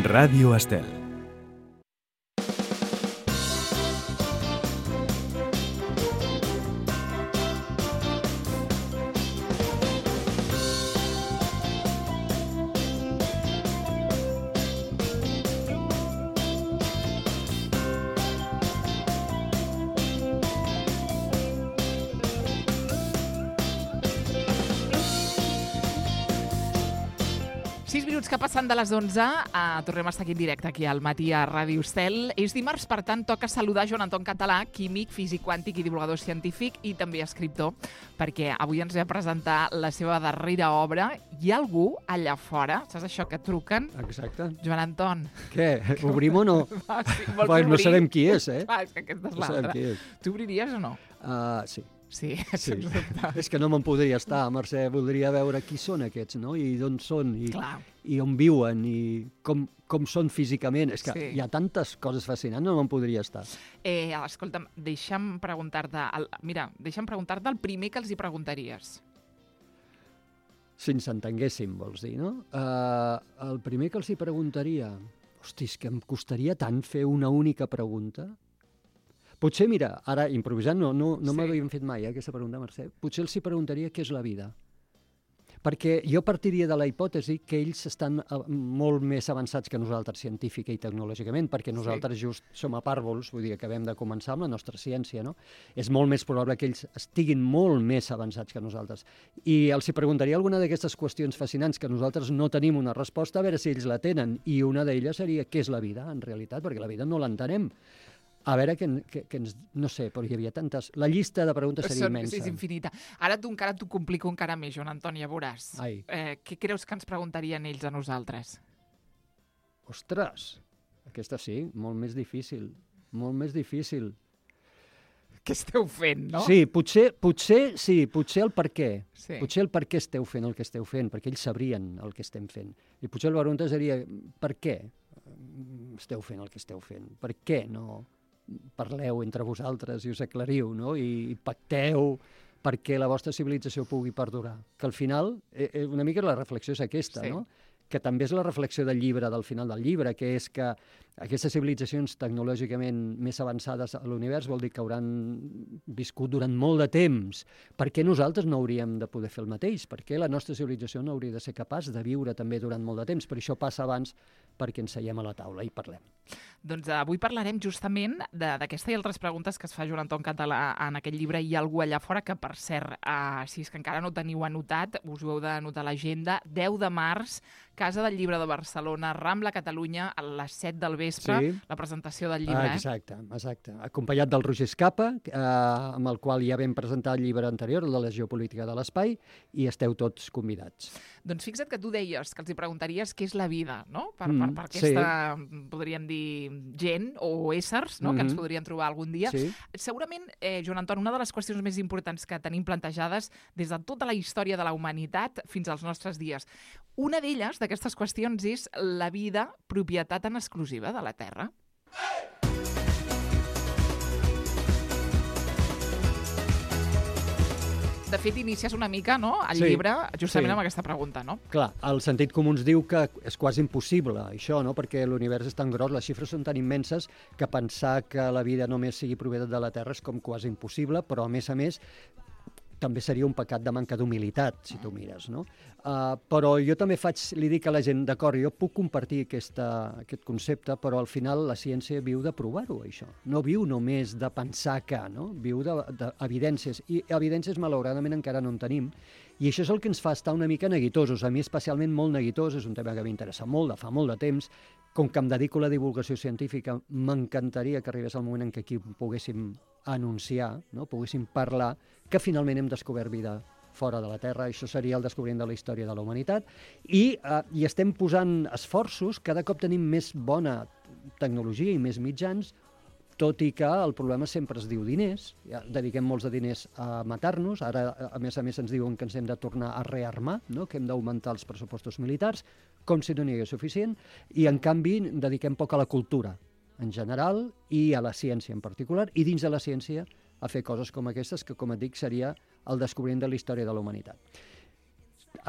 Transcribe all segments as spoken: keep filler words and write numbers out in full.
Ràdio Estel. sis minuts que passen de les onze, uh, tornem a estar aquí en directe, aquí al matí a Ràdio Estel. És dimarts, per tant, toca saludar Joan Anton Català, químic, físic quàntic i divulgador científic i també escriptor, perquè avui ens ve a presentar la seva darrera obra. Hi ha algú allà fora, saps això, que truquen? Exacte. Joan Anton. Què? Obrim o no? Va, sí, vols Bueno, no obrir? sabem qui és, eh? Va, és que aquesta és No sabem l'altra. qui és. Tu obriries o no? Uh, sí. Sí, Sí. sens dubte. És que no me'n podria estar, Mercè. Voldria veure qui són aquests, no? I d'on són, i, Clar. i on viuen, i com, com són físicament. És que Sí. hi ha tantes coses fascinants, no me'n podria estar. Eh, escolta'm, deixa'm preguntar-te... El, mira, deixa'm preguntar-te el primer que els hi preguntaries. Si ens entenguéssim, vols dir, no? Uh, el primer que els hi preguntaria... Hosti, és que em costaria tant fer una única pregunta. Potser, mira, ara improvisant, no, no, no Sí. m'havien fet mai eh, aquesta pregunta, Mercè. Potser els hi preguntaria què és la vida. Perquè jo partiria de la hipòtesi que ells estan eh, molt més avançats que nosaltres científica i tecnològicament, perquè nosaltres just som a pàrvols, vull dir, acabem de començar amb la nostra ciència, no? És molt més probable que ells estiguin molt més avançats que nosaltres. I els hi preguntaria alguna d'aquestes qüestions fascinants que nosaltres no tenim una resposta, a veure si ells la tenen. I una d'elles seria què és la vida, en realitat, perquè la vida no l'entenem. A veure, que, que, que ens, no sé, però hi havia tantes... La llista de preguntes seria Són- immensa. Sí, és infinita. Ara tu encara t'ho complico encara més, Joan Anton, ja veuràs. Ai. Eh, què creus que ens preguntarien ells a nosaltres? Ostres, aquesta sí, molt més difícil. Molt més difícil. Què esteu fent, no? Sí, potser, potser, sí, potser el per què. Sí. Potser el per què esteu fent el que esteu fent, perquè ells sabrien el que estem fent. I potser la pregunta seria, per què esteu fent el que esteu fent? Per què no parleu entre vosaltres i us aclariu, no? I pacteu perquè la vostra civilització pugui perdurar? Que al final, eh, una mica la reflexió és aquesta, Sí. no? Que també és la reflexió del llibre, del final del llibre, que és que aquestes civilitzacions tecnològicament més avançades a l'univers vol dir que hauran viscut durant molt de temps. Per què nosaltres no hauríem de poder fer el mateix? Per què la nostra civilització no hauria de ser capaç de viure també durant molt de temps? Per això passa abans perquè ens seiem a la taula i parlem. Doncs uh, avui parlarem justament de- d'aquesta i altres preguntes que es fa Joan Anton Català en aquest llibre. Hi ha algú allà fora que, per cert, uh, si és que encara no ho teniu anotat, us ho heu d'anotar a l'agenda, deu de març, Casa del Llibre de Barcelona, Rambla, Catalunya, a les set del vespre, Sí. la presentació del llibre. Ah, exacte, exacte. Acompanyat del Roger Escapa, eh, amb el qual ja vam presentar el llibre anterior, el de la geopolítica de l'espai, i esteu tots convidats. Doncs fixa't que tu deies que els hi preguntaries què és la vida, no? Per, Mm, per, per aquesta, podríem dir, gent o éssers, no? Mhm. Que ens podrien trobar algun dia. Sí. Segurament, eh, Joan Anton, una de les qüestions més importants que tenim plantejades des de tota la història de la humanitat fins als nostres dies. Una d'elles, d'aquestes qüestions, és la vida propietat en exclusiva de la Terra. De fet, inicies una mica, no?, el Sí, llibre justament sí. amb aquesta pregunta, no? Clar, el sentit comú ens diu que és quasi impossible, això, no? Perquè l'univers és tan gros, les xifres són tan immenses, que pensar que la vida només sigui propietat de la Terra és com quasi impossible, però, a més a més, també seria un pecat de manca d'humilitat, si tu mires, no? Uh, però jo també faig, li dic a la gent, d'acord, jo puc compartir aquesta, aquest concepte, però al final la ciència viu de provar-ho, això. No viu només de pensar que, no? Viu d'evidències, i evidències malauradament encara no en tenim, i això és el que ens fa estar una mica neguitosos, a mi especialment molt neguitós, és un tema que m'interessa molt, de fa molt de temps, com que em dedico a la divulgació científica, m'encantaria que arribés el moment en què aquí poguéssim anunciar, no? Poguéssim parlar que finalment hem descobert vida fora de la Terra. Això seria el descobriment de la història de la humanitat. I, eh, i estem posant esforços, cada cop tenim més bona tecnologia i més mitjans, tot i que el problema sempre es diu diners. Ja dediquem molts de diners a matar-nos, ara, a més a més, ens diuen que ens hem de tornar a rearmar, no? Que hem d'augmentar els pressupostos militars, com si no n'hi hagués suficient, i en canvi dediquem poc a la cultura en general i a la ciència en particular, i dins de la ciència a fer coses com aquestes, que, com et dic, seria el descobriment de la història de la humanitat.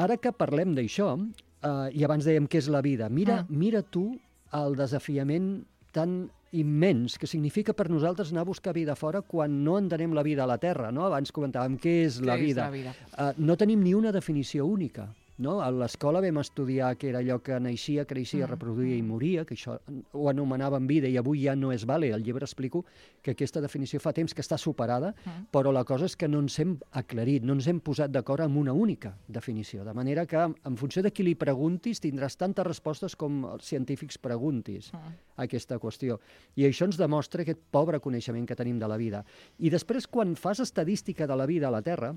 Ara que parlem d'això, eh, i abans dèiem què és la vida, mira, Ah. mira tu el desafiament tan immens que significa per nosaltres anar a buscar vida fora quan no entenem la vida a la Terra, no? Abans comentàvem què és la Què és vida. la vida? Uh, no tenim ni una definició única. No? A l'escola vam estudiar que era allò que naixia, creixia, Mm, reproduïa i mm. moria, que això ho anomenaven vida i avui ja no és vàlid. Al llibre explico que aquesta definició fa temps que està superada, Mm. però la cosa és que no ens hem aclarit, no ens hem posat d'acord amb una única definició. De manera que, en funció de qui li preguntis, tindràs tantes respostes com els científics preguntis Mm. a aquesta qüestió. I això ens demostra aquest pobre coneixement que tenim de la vida. I després, quan fas estadística de la vida a la Terra,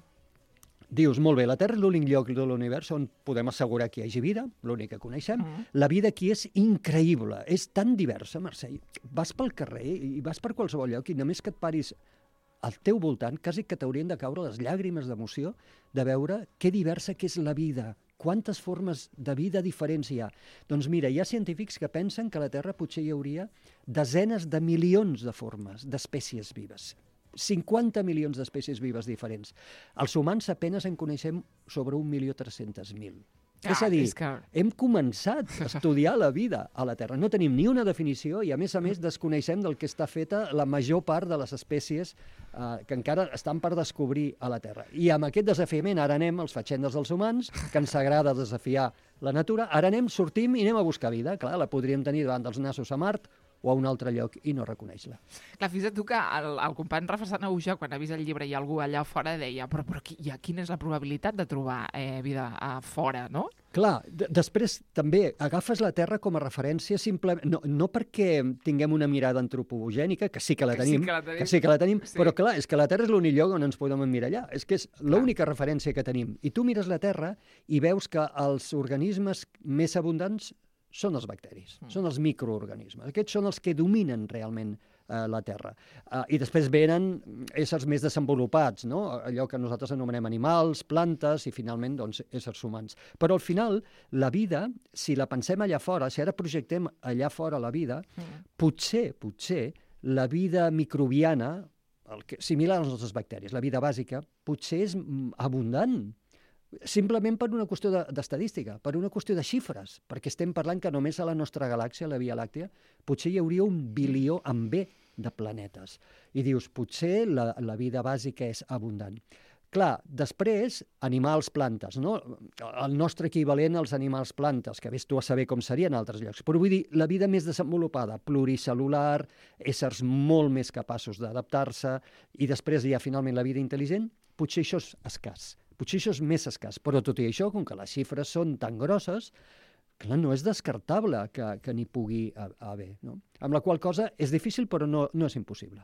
dius, molt bé, la Terra és l'únic lloc de l'univers on podem assegurar que hi hagi vida, l'únic que coneixem. Mm. La vida aquí és increïble, és tan diversa, Mercè. Vas pel carrer i vas per qualsevol lloc i només que et paris al teu voltant, quasi que t'haurien de caure les llàgrimes d'emoció de veure què diversa que és la vida, quantes formes de vida diferents hi ha. Doncs mira, hi ha científics que pensen que a la Terra potser hi hauria desenes de milions de formes d'espècies vives. cinquanta milions d'espècies vives diferents. Els humans apenas en coneixem sobre un milió tres-cents mil. Ah, és a dir, és que... hem començat a estudiar la vida a la Terra. No tenim ni una definició i, a més a més, desconeixem del que està feta la major part de les espècies eh, que encara estan per descobrir a la Terra. I amb aquest desafiament ara anem els fatxendes dels humans, que ens agrada desafiar la natura, ara anem, sortim i anem a buscar vida. Clar, la podríem tenir davant dels nassos a Mart o a un altre lloc i no reconeix-la. Clar, fixa't tu que el, el company Rafa Sanahuja, quan ha vist el llibre i algú allà fora, deia però, però qui, ja, quina és la probabilitat de trobar eh, vida a fora, no? Clar, després també agafes la Terra com a referència simplement, no, no perquè tinguem una mirada antropogènica, que sí que la Que tenim, sí que la tenim. que sí que la tenim, Sí. però clar, és que la Terra és l'únic lloc on ens podem emmirallar. És que és l'única referència que tenim. I tu mires la Terra i veus que els organismes més abundants són els bacteris, Mm. són els microorganismes. Aquests són els que dominen realment eh, la Terra. Uh, I després venen éssers més desenvolupats, no? Allò que nosaltres anomenem animals, plantes i finalment doncs, éssers humans. Però al final la vida, si la pensem allà fora, si ara projectem allà fora la vida, Mm. potser, potser, la vida microbiana, el que, similar als nostres bacteris, la vida bàsica, potser és mm, abundant. Simplement per una qüestió de- d'estadística, per una qüestió de xifres, perquè estem parlant que només a la nostra galàxia, la Via Làctea, potser hi hauria un bilió amb B de planetes. I dius, potser la, la vida bàsica és abundant. Clar, després, animals, plantes, no? El nostre equivalent als animals plantes, que vés tu a saber com serien en altres llocs. Però vull dir, la vida més desenvolupada, pluricel·lular, éssers molt més capaços d'adaptar-se, i després hi ha finalment la vida intel·ligent, potser això és escàs. Potser això és més escàs, però tot i això, com que les xifres són tan grosses, clar, no és descartable que, que n'hi pugui haver, no? Amb la qual cosa és difícil, però no, no és impossible.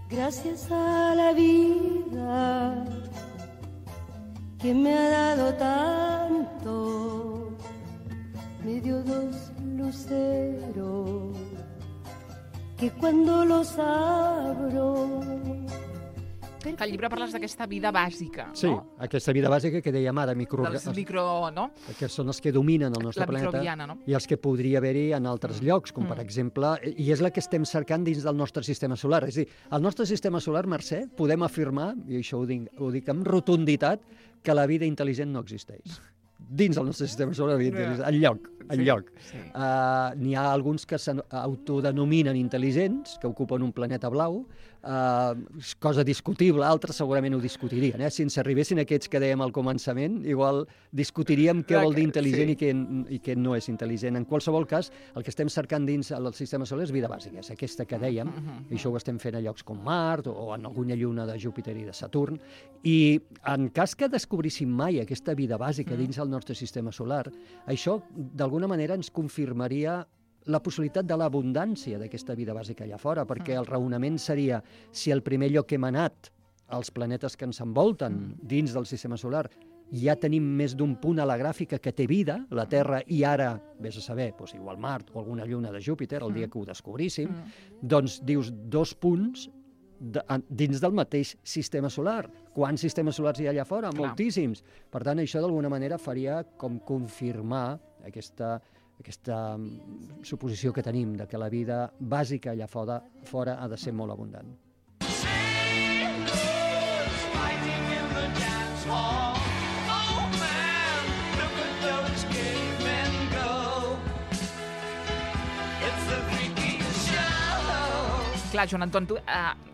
Gracias a la vida que me ha dado tanto, me dio dos luceros que cuando los abro... Que al llibre parles d'aquesta vida bàsica, Sí, no? aquesta vida bàsica que dèiem ara, micro... Dels micro, no? que són els que dominen el nostre La planeta microbiana, no? i els que podria haver-hi en altres llocs, com per Mm. exemple, i és la que estem cercant dins del nostre sistema solar. És a dir, al nostre sistema solar, Mercè, podem afirmar, i això ho dic, ho dic amb rotunditat, que la vida intel·ligent no existeix. Dins del nostre sistema solar, la vida intel·ligent, enlloc, enlloc. Sí. Uh, N'hi ha alguns que s'autodenominen intel·ligents, que ocupen un planeta blau, uh, cosa discutible, altres segurament ho discutirien. Eh? Si ens arribessin aquests que dèiem al començament, igual discutiríem què Clar vol dir que- intel·ligent sí. i, què, i què no és intel·ligent. En qualsevol cas, el que estem cercant dins el sistema solar és vida bàsica, és aquesta que dèiem, Mhm. i això ho estem fent a llocs com Mart o en alguna lluna de Júpiter i de Saturn, i en cas que descobríssim mai aquesta vida bàsica Mm. dins el nostre sistema solar, això d'alguna manera ens confirmaria la possibilitat de l'abundància d'aquesta vida bàsica allà fora, perquè Mm. el raonament seria, si el primer lloc que hem anat, els planetes que ens envolten Mm. dins del sistema solar, ja tenim més d'un punt a la gràfica que té vida, la Terra, i ara, vés a saber, doncs igual Mart o alguna lluna de Júpiter, el dia Mm. que ho descobríssim, Mm. doncs dius dos punts de, en- dins del mateix sistema solar. Quants sistemes solars hi ha allà fora? Clar. Moltíssims. Per tant, això d'alguna manera faria com confirmar aquesta, aquesta mm, suposició que tenim de que la vida bàsica allà fora, fora ha de ser molt abundant. Clar, Joan Anton, tu, eh,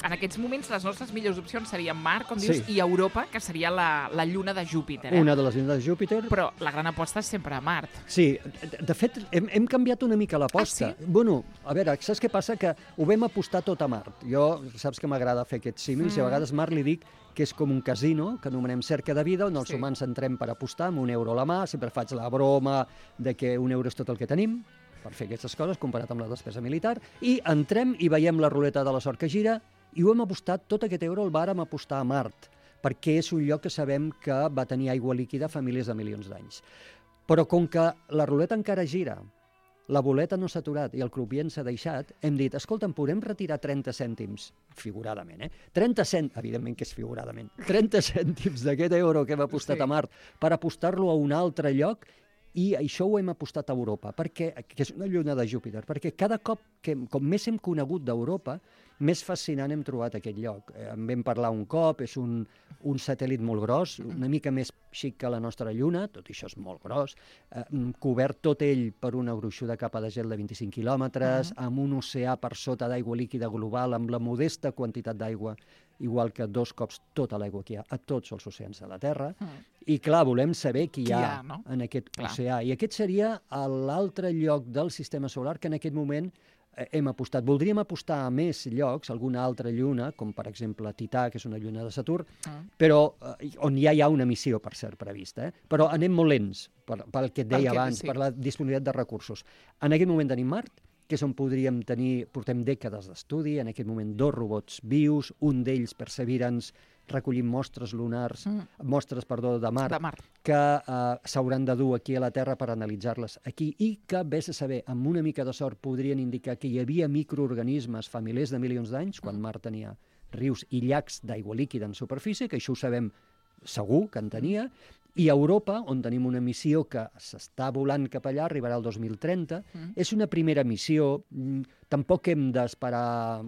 en aquests moments les nostres millors opcions serien Mart, com dius, Sí. i Europa, que seria la, la lluna de Júpiter. Eh? Una de les llunes de Júpiter. Però la gran aposta és sempre a Mart. Sí, de, de fet, hem, hem canviat una mica l'aposta. Ah, sí? Bueno, a veure, saps què passa? Que ho vam apostar tot a Mart. Jo, saps que m'agrada fer aquests símils, mm. i a vegades Mart li dic que és com un casino, que anomenem cerca de vida, on els Sí. humans entrem per apostar amb un euro a la mà, sempre faig la broma de que un euro és tot el que tenim, per fer aquestes coses, comparat amb la despesa militar, i entrem i veiem la ruleta de la sort que gira, i ho hem apostat, tot aquest euro el vàrem apostar a Mart, perquè és un lloc que sabem que va tenir aigua líquida fa milers de milions d'anys. Però com que la ruleta encara gira, la boleta no s'ha aturat i el crupier s'ha deixat, hem dit, escolta, em podem retirar trenta cèntims, figuradament, eh? trenta cèntims, evidentment que és figuradament, trenta cèntims d'aquest euro que hem apostat Sí. a Mart per apostar-lo a un altre lloc, i això ho hem apostat a Europa, perquè, que és una lluna de Júpiter, perquè cada cop, que, com més hem conegut d'Europa, més fascinant hem trobat aquest lloc. Eh, en vam parlar un cop, és un, un satèl·lit molt gros, una mica més xic que la nostra lluna, tot i això és molt gros, eh, cobert tot ell per una gruixuda capa de gel de vint-i-cinc quilòmetres, uh-huh. amb un oceà per sota d'aigua líquida global, amb la modesta quantitat d'aigua, igual que dos cops tota l'aigua que hi ha a tots els oceans de la Terra. Uh-huh. I, clar, volem saber qui hi ha, ha no? en aquest clar. oceà. I aquest seria l'altre lloc del sistema solar que en aquest moment hem apostat. Voldríem apostar a més llocs, alguna altra lluna, com per exemple Tità, que és una lluna de Saturn, mm. però eh, on ja hi ha una missió, per cert, prevista. Eh? Però anem molt lents, per, pel que et deia que, abans, sí. per la disponibilitat de recursos. En aquest moment tenim Mart, que és on podríem tenir, portem dècades d'estudi, en aquest moment dos robots vius, un d'ells, Perseverance, recollim mostres lunars, mm. mostres, perdó, de Mart, de Mart. que eh, s'hauran de dur aquí a la Terra per analitzar-les aquí i que, vés a saber, amb una mica de sort podrien indicar que hi havia microorganismes fa milers de milions d'anys, quan Mart tenia rius i llacs d'aigua líquida en superfície, que això ho sabem segur que en tenia, i a Europa, on tenim una missió que s'està volant cap allà, arribarà el dos mil trenta, mm. és una primera missió, tampoc hem d'esperar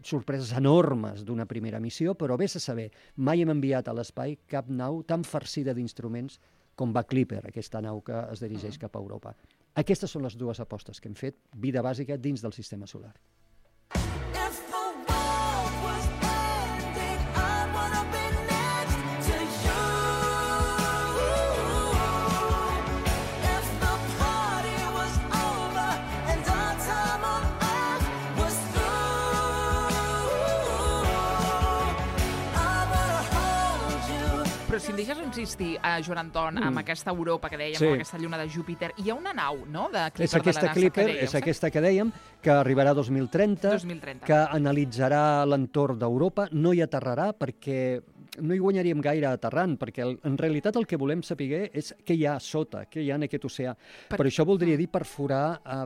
sorpreses enormes d'una primera missió, però vés a saber, mai hem enviat a l'espai cap nau tan farcida d'instruments com va Clipper, aquesta nau que es dirigeix mm. cap a Europa. Aquestes són les dues apostes que hem fet, vida bàsica dins del sistema solar. Però si em deixes insistir, uh, Joan Anton, mm. amb aquesta Europa que dèiem, sí. amb aquesta lluna de Júpiter, hi ha una nau, no?, de Clipper és aquesta de la NASA Clipper, que dèiem. És aquesta que dèiem, que arribarà dos mil trenta, dos mil trenta. que analitzarà l'entorn d'Europa, no hi aterrarà perquè no hi guanyaríem gaire aterrant, perquè en realitat el que volem saber és què hi ha sota, què hi ha en aquest oceà. Per, per això voldria dir perforar a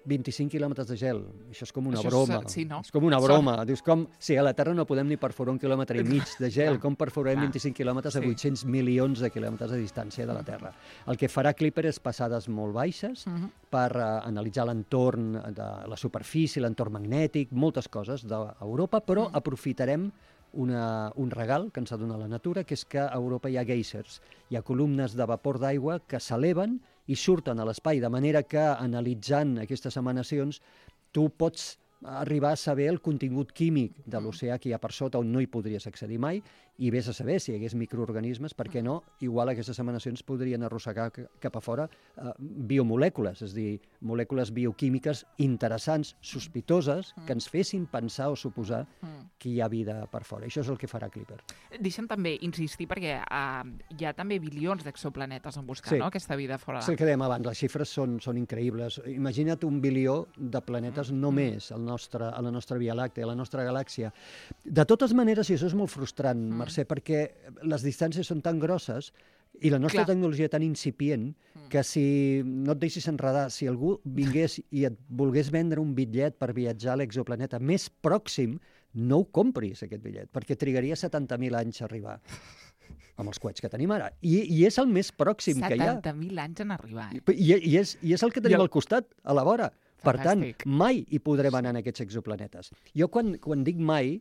vint-i-cinc quilòmetres de gel. Això és com una això broma. És, sí, no? És com una broma. Dius, com, si a la Terra no podem ni perforar un quilòmetre i mig de gel, com perforarem vint-i-cinc quilòmetres a vuit-cents milions de quilòmetres de distància de la Terra. El que farà Clipper és passades molt baixes uh-huh. per uh, analitzar l'entorn de la superfície, l'entorn magnètic, moltes coses d'Europa, però uh-huh. aprofitarem Una, un regal que ens ha donat la natura, que és que a Europa hi ha geysers. Hi ha columnes de vapor d'aigua que s'eleven i surten a l'espai, de manera que, analitzant aquestes emanacions, tu pots arribar a saber el contingut químic de l'oceà que hi ha per sota, on no hi podries accedir mai, i vés a saber si hi hagués microorganismes, per què no, igual aquestes emanacions podrien arrossegar cap a fora eh, biomolècules, és a dir, molècules bioquímiques interessants, sospitoses, que ens fessin pensar o suposar que hi ha vida per fora. Això és el que farà Clipper. Deixa'm també insistir, perquè uh, hi ha també bilions d'exoplanetes en buscar, sí. no?, aquesta vida fora. És el que dèiem abans, les xifres són, són increïbles. Imagina't un bilió de planetes mm. només al nostre, a la nostra Via Làctea, a la nostra galàxia. De totes maneres, i això és molt frustrant, mm. Mercè, perquè les distàncies són tan grosses i la nostra Clar. tecnologia tan incipient que si no et deixis enredar, si algú vingués i et volgués vendre un bitllet per viatjar a l'exoplaneta més pròxim, no ho compris, aquest bitllet, perquè trigaria setanta mil anys a arribar amb els coets que tenim ara. I, i és el més pròxim que hi ha. setanta mil anys en arribar. Eh? I, i, és, I és el que tenim el... al costat, a la vora. Fantàstic. Per tant, mai hi podrem anar en aquests exoplanetes. Jo quan, quan dic mai,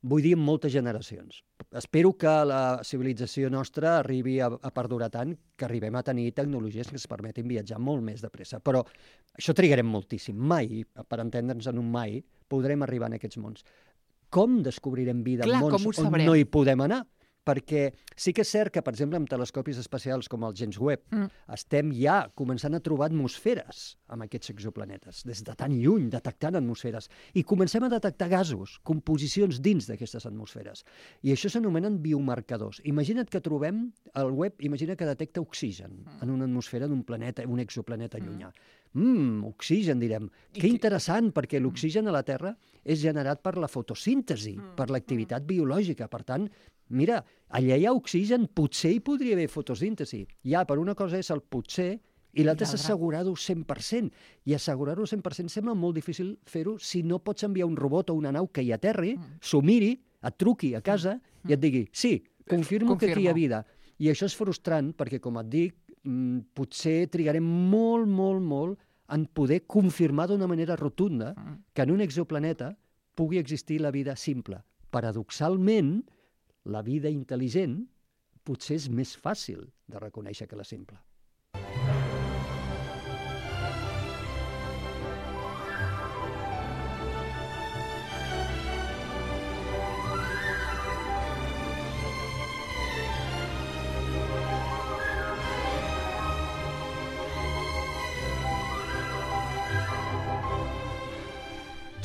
vull dir, en moltes generacions. Espero que la civilització nostra arribi a, a perdurar tant que arribem a tenir tecnologies que ens permetin viatjar molt més de pressa. Però això trigarem moltíssim. Mai, per entendre'ns en un mai, podrem arribar en aquests mons. Com descobrirem vida Clar, en mons on sabrem? no hi podem anar? Perquè sí que és cert que, per exemple, amb telescopis espacials com el James Webb, mm. estem ja començant a trobar atmosferes amb aquests exoplanetes, des de tan lluny, detectant atmosferes. I comencem a detectar gasos, composicions dins d'aquestes atmosferes. I això s'anomenen biomarcadors. Imagina't que trobem, el Webb, imagina que detecta oxigen mm. en una atmosfera d'un planeta, un exoplaneta mm. llunyà. Mmm, oxigen, direm. I que interessant, perquè l'oxigen a la Terra és generat per la fotosíntesi, mm. per l'activitat biològica. Per tant, mira, allà hi ha oxigen, potser hi podria haver fotosíntesi. Ja, per una cosa és el potser i l'altra és assegurar-ho cent per cent. I assegurar-ho cent per cent sembla molt difícil fer-ho si no pots enviar un robot o una nau que hi aterri, mm. s'ho miri, et truqui a casa mm. i et digui, sí, confirmo, confirmo que aquí hi ha vida. I això és frustrant perquè, com et dic, potser trigarem molt, molt, molt en poder confirmar d'una manera rotunda que en un exoplaneta pugui existir la vida simple. Paradoxalment, la vida intel·ligent potser és més fàcil de reconèixer que la simple.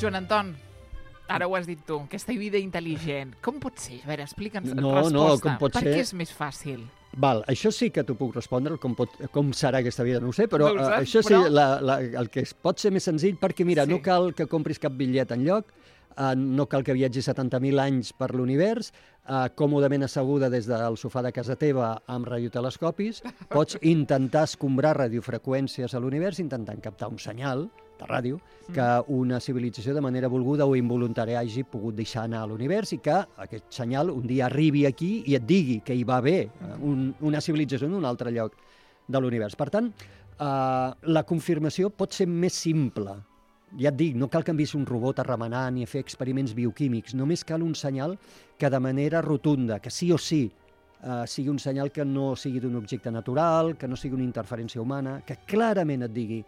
Joan Anton, ara ho has dit tu, aquesta vida intel·ligent, com pot ser? A veure, explica'ns no, resposta. No, com pot per ser... què és més fàcil? Val, això sí que t'ho puc respondre, com, pot, com serà aquesta vida, no ho sé, però no saps, això però... sí, la, la, el que pot ser més senzill, perquè mira, sí. no cal que compris cap bitllet enlloc, Uh, no cal que viatgis setanta mil anys per l'univers, uh, còmodament asseguda des del sofà de casa teva amb radiotelescopis, pots intentar escombrar radiofreqüències a l'univers intentant captar un senyal de ràdio que una civilització de manera volguda o involuntària hagi pogut deixar anar a l'univers i que aquest senyal un dia arribi aquí i et digui que hi va haver uh, un, una civilització en un altre lloc de l'univers. Per tant, uh, la confirmació pot ser més simple. Ja et dic, no cal que enviïs un robot a remenar ni a fer experiments bioquímics, només cal un senyal que de manera rotunda, que sí o sí, eh, sigui un senyal que no sigui d'un objecte natural, que no sigui una interferència humana, que clarament et digui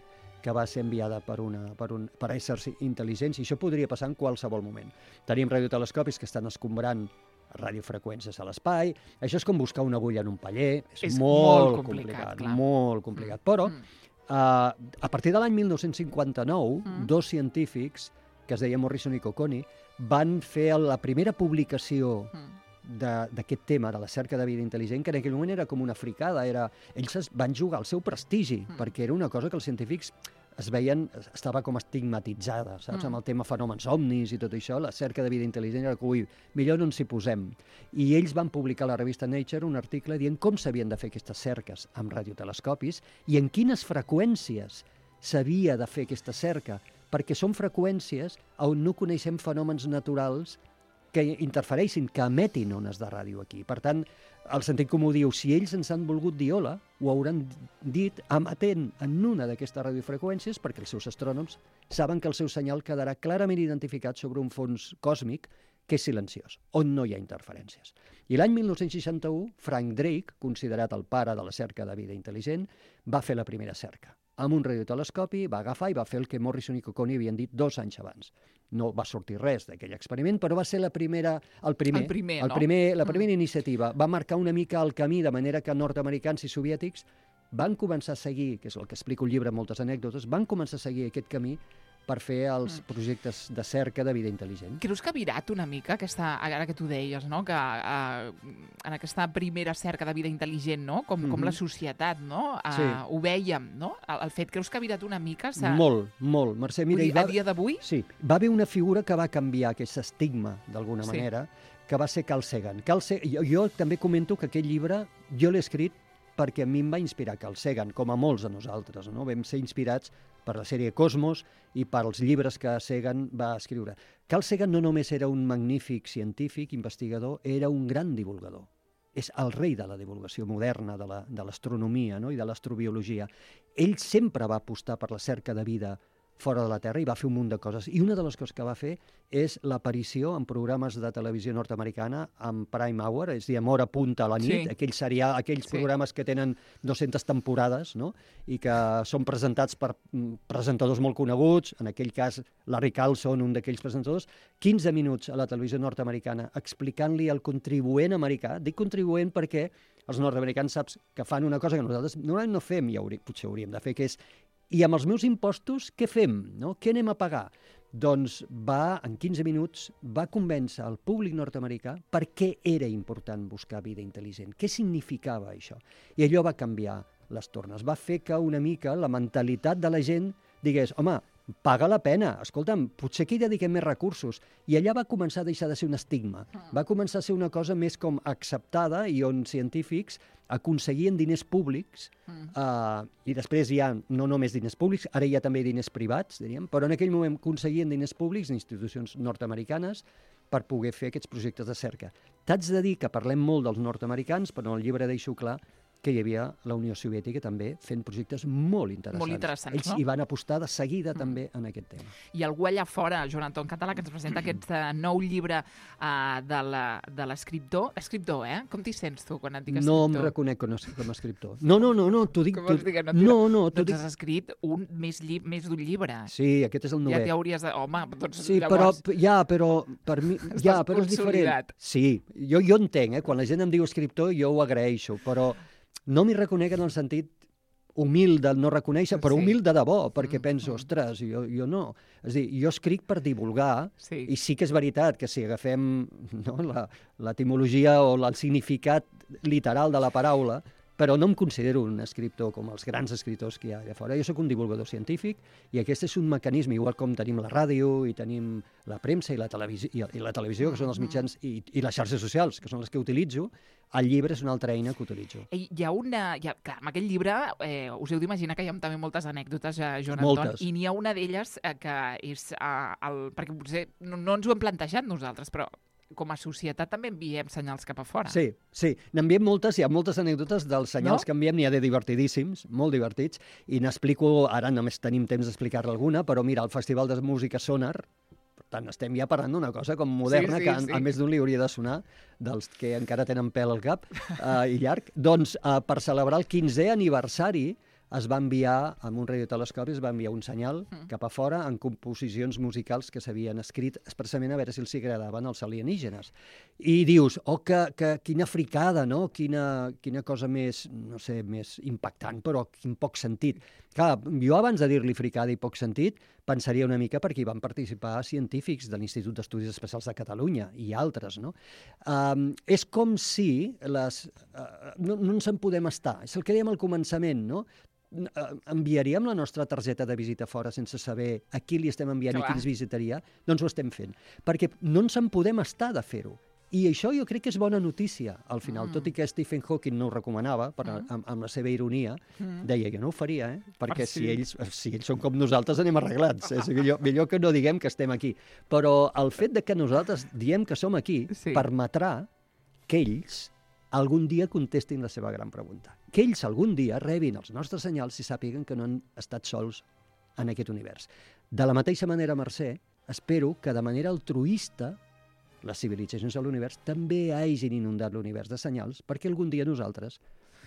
que va ser enviada per, una, per, un, per éssers intel·ligents, i això podria passar en qualsevol moment. Tenim radiotelescopis que estan escombrant radiofreqüències a l'espai, això és com buscar una agulla en un paller, és, és molt, molt complicat, complicat molt complicat, mm. però... Mm. Uh, a partir de l'any mil nou-cents cinquanta-nou, mm. dos científics, que es deien Morrison i Cocconi, van fer la primera publicació mm. d'aquest tema, de la cerca de vida intel·ligent, que en aquell moment era com una fricada. Era... Ells es van jugar al seu prestigi, mm. perquè era una cosa que els científics es veien, estava com estigmatitzada, saps? Mm. Amb el tema fenòmens ovnis i tot això, la cerca de vida intel·ligent era que, ui, millor no ens hi posem. I ells van publicar a la revista Nature un article dient com s'havien de fer aquestes cerques amb radiotelescopis i en quines freqüències s'havia de fer aquesta cerca, perquè són freqüències on no coneixem fenòmens naturals que interfereixin, que emetin ones de ràdio aquí. Per tant, el sentit comú diu, si ells ens han volgut dir hola, ho hauran dit emetent en una d'aquestes radiofreqüències perquè els seus astrònoms saben que el seu senyal quedarà clarament identificat sobre un fons còsmic que és silenciós, on no hi ha interferències. I l'any mil nou-cents seixanta-u, Frank Drake, considerat el pare de la cerca de vida intel·ligent, va fer la primera cerca. Amb un radiotelescopi va agafar i va fer el que Morrison i Cocconi havien dit dos anys abans. No va sortir res d'aquell experiment, però va ser la primera, el primer, el primer, el no? primer, la primera mm. iniciativa. Va marcar una mica el camí, de manera que nord-americans i soviètics van començar a seguir, que és el que explico al llibre, moltes anècdotes, van començar a seguir aquest camí per fer els mm. projectes de cerca de vida intel·ligent. Creus que ha virat una mica, aquesta, ara que tu deies, no? que uh, en aquesta primera cerca de vida intel·ligent, no? com, mm-hmm. com la societat, no? Uh, sí. ho vèiem, no? El, el fet, creus que ha virat una mica? Sa... Molt, molt. Mercè, mira, dir, va... a dia d'avui? Sí, va haver una figura que va canviar aquest estigma, d'alguna sí. manera, que va ser Carl Sagan. Carl Sagan... Jo, jo també comento que aquest llibre jo l'he escrit perquè a mi em va inspirar Carl Sagan, com a molts de nosaltres, no? Vam ser inspirats per la sèrie Cosmos i pels llibres que Sagan va escriure. Carl Sagan no només era un magnífic científic, investigador, era un gran divulgador. És el rei de la divulgació moderna, de l'astronomia, no? I de l'astrobiologia. Ell sempre va apostar per la cerca de vida fora de la Terra i va fer un munt de coses. I una de les coses que va fer és l'aparició en programes de televisió nord-americana amb Prime Hour, és a dir, amb hora punta a la nit, Sí. aquells, serial, aquells Sí. programes que tenen dues-centes temporades, no? I que són presentats per mm, presentadors molt coneguts, en aquell cas Larry Carlson, un d'aquells presentadors, quinze minuts a la televisió nord-americana explicant-li al contribuent americà, dic contribuent perquè els nord-americans saps que fan una cosa que nosaltres normalment no fem, i haurí, potser hauríem de fer, que és i amb els meus impostos, què fem? No? Què anem a pagar? Doncs va, en quinze minuts, va convèncer el públic nord-americà per què era important buscar vida intel·ligent, què significava això. I allò va canviar les tornes, va fer que una mica la mentalitat de la gent digués, home, paga la pena, escolta'm, potser que hi dediquem més recursos. I allà va començar a deixar de ser un estigma, va començar a ser una cosa més com acceptada i on científics aconseguien diners públics mm. uh, i després hi ha no només diners públics, ara hi ha també diners privats, diríem, però en aquell moment aconseguien diners públics d'institucions nord-americanes per poder fer aquests projectes de cerca. T'haig de dir que parlem molt dels nord-americans, però en el llibre deixo clar que hi havia la Unió Soviètica també fent projectes molt interessants. Molt interessants, Ells no? hi van apostar de seguida mm. també en aquest tema. I algú allà fora, Joan Anton Català, que ens presenta aquest uh, nou llibre uh, de la- de l'escriptor. Escriptor, eh? Com t'hi sents tu quan et dic No escriptor? em reconec com a, com a escriptor. No, no, no, no t'ho dic... Com t'ho- vols dir que no? no, no, t'ho Doncs dic... has escrit un més, lli més d'un llibre. Sí, aquest és el Ja novè. t'hi hauries de... Home, doncs Sí, però, llavors... ja, però per mi... Ja, però és consolidat. diferent. Sí, jo, jo entenc, eh? Quan la gent em diu escriptor, jo ho agraeixo, però no m'hi reconec en el sentit humil de no reconèixer, però Sí. humil de debò, perquè Mm, penso, mm. ostres, jo, jo no. És a dir, jo escric per divulgar, Sí. i sí que és veritat que si agafem no, la- l'etimologia o el significat literal de la paraula, però no em considero un escriptor com els grans escriptors que hi ha allà fora. Jo sóc un divulgador científic i aquest és un mecanisme, igual com tenim la ràdio i tenim la premsa i la televisió, i, i la televisió que són els mitjans, i, i les xarxes socials, que són les que utilitzo, el llibre és una altra eina que utilitzo. Hi hi ha una... Hi ha, clar, en aquest llibre eh, us heu d'imaginar que hi ha també moltes anècdotes, eh, Joan Moltes. Anton, i n'hi ha una d'elles eh, que és... Eh, el, perquè potser no, no ens ho hem plantejat nosaltres, però com a societat també enviem senyals cap a fora. Sí, sí. N'enviem moltes, hi ha moltes anècdotes dels senyals No? que enviem, n'hi ha de divertidíssims, molt divertits, i n'explico, ara només tenim temps d'explicar-ne alguna, però mira, el Festival de Música Sonar, per tant, estem ja parlant d'una cosa com moderna, Sí, sí, que a, sí. a més d'un li hauria de sonar, dels que encara tenen pèl al cap uh, i llarg. Doncs, uh, per celebrar el quinzè aniversari, es va enviar, amb un radiotelescopi, es va enviar un senyal Mm. cap a fora en composicions musicals que s'havien escrit expressament a veure si els agradaven els alienígenes. I dius, oh, que, que, quina fricada, no? Quina, quina cosa més, no sé, més impactant, però quin poc sentit. Clar, jo abans de dir-li fricada i poc sentit, pensaria una mica perquè hi van participar científics de l'Institut d'Estudis Especials de Catalunya i altres, no? Um, és com si les... Uh, no, no ens en podem estar. És el que dèiem al començament, no? Eh, enviaríem la nostra targeta de visita fora sense saber a qui li estem enviant Clar. i qui ens visitaria? Doncs ho estem fent. Perquè no ens en podem estar de fer-ho. I això jo crec que és bona notícia, al final, Mm. tot i que Stephen Hawking no ho recomanava, per, Mm. amb, amb la seva ironia, Mm. deia, jo no ho faria, eh? perquè Ah, sí? si, ells, si ells són com nosaltres anem arreglats. És millor, millor que no diguem que estem aquí. Però el fet de que nosaltres diem que som aquí Sí. permetrà que ells algun dia contestin la seva gran pregunta. Que ells algun dia rebin els nostres senyals i sàpiguen que no han estat sols en aquest univers. De la mateixa manera, Mercè, espero que de manera altruista les civilitzacions de l'univers també hagin inundat l'univers de senyals perquè algun dia nosaltres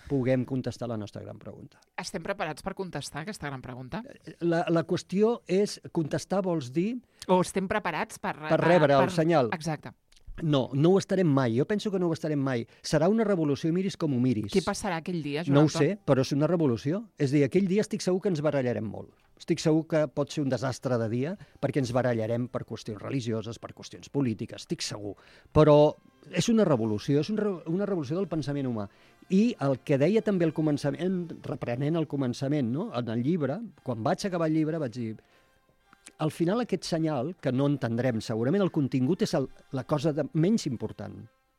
puguem contestar la nostra gran pregunta. Estem preparats per contestar aquesta gran pregunta? La, la qüestió és, contestar vols dir O estem preparats per... per rebre el senyal? Exacte. No, no ho estarem mai. Jo penso que no ho estarem mai. Serà una revolució i miris com ho miris. Què passarà aquell dia, Joan No ho Anton? sé, però és una revolució. És a dir, aquell dia estic segur que ens barallarem molt. Estic segur que pot ser un desastre de dia perquè ens barallarem per qüestions religioses, per qüestions polítiques, estic segur. Però és una revolució, és un re una revolució del pensament humà. I el que deia també al començament, reprenent el començament, no? En el llibre, quan vaig acabar el llibre vaig dir al final aquest senyal, que no entendrem, segurament el contingut és el, la cosa de, menys important.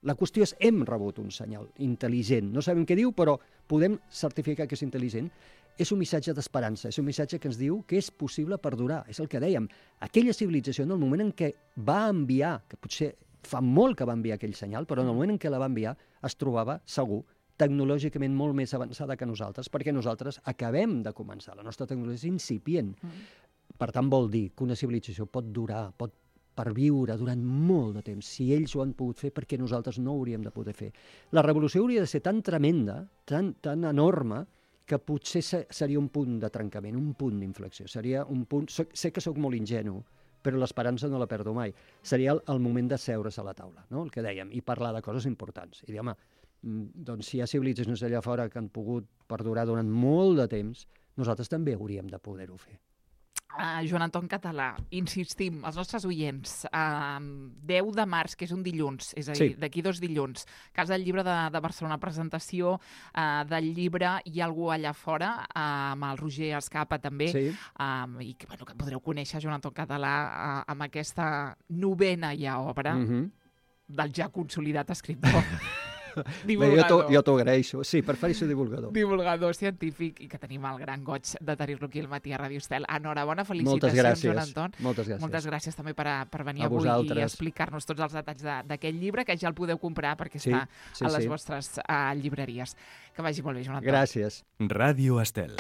La qüestió és, hem rebut un senyal intel·ligent. No sabem què diu, però podem certificar que és intel·ligent. És un missatge d'esperança, és un missatge que ens diu que és possible perdurar. És el que dèiem. Aquella civilització, en el moment en què va enviar, que potser fa molt que va enviar aquell senyal, però en el moment en què la va enviar es trobava, segur, tecnològicament molt més avançada que nosaltres, perquè nosaltres acabem de començar. La nostra tecnologia és incipient. Mm. per tant, vol dir que una civilització pot durar, pot perviure durant molt de temps. Si ells ho han pogut fer, perquè nosaltres no ho hauríem de poder fer. La revolució hauria de ser tan tremenda, tan, tan enorme, que potser seria un punt de trencament, un punt d'inflexió. Seria un punt... Sé que sóc molt ingenu, però l'esperança no la perdo mai. Seria el, el moment de seure's a la taula, no? El que dèiem, i parlar de coses importants. I dir, home, doncs si hi ha civilitzacions allà fora que han pogut perdurar durant molt de temps, nosaltres també hauríem de poder-ho fer. Uh, Joan Anton Català, insistim, els nostres oients, uh, deu de març, que és un dilluns, és a dir, sí. d'aquí dos dilluns, Casa del Llibre de, de Barcelona, presentació uh, del llibre, hi ha algú allà fora, uh, amb el Roger Escapa també, sí. um, i que, bueno, que podreu conèixer Joan Anton Català uh, amb aquesta novena ja obra mm-hmm. del ja consolidat escriptor. Divulgador. Jo t'ho agraeixo. Sí, prefereixo divulgador. Divulgador científic i que tenim el gran goig de tenir-lo aquí al matí a Ràdio Estel. Enhorabona, felicitacions, Moltes gràcies. Joan Anton. Moltes gràcies. Moltes gràcies també per, a, per venir a avui vosaltres. i explicar-nos tots els detalls d'aquest llibre, que ja el podeu comprar perquè sí, està sí, a les sí. vostres uh, llibreries. Que vagi molt bé, Joan Anton. Gràcies. Ràdio Estel.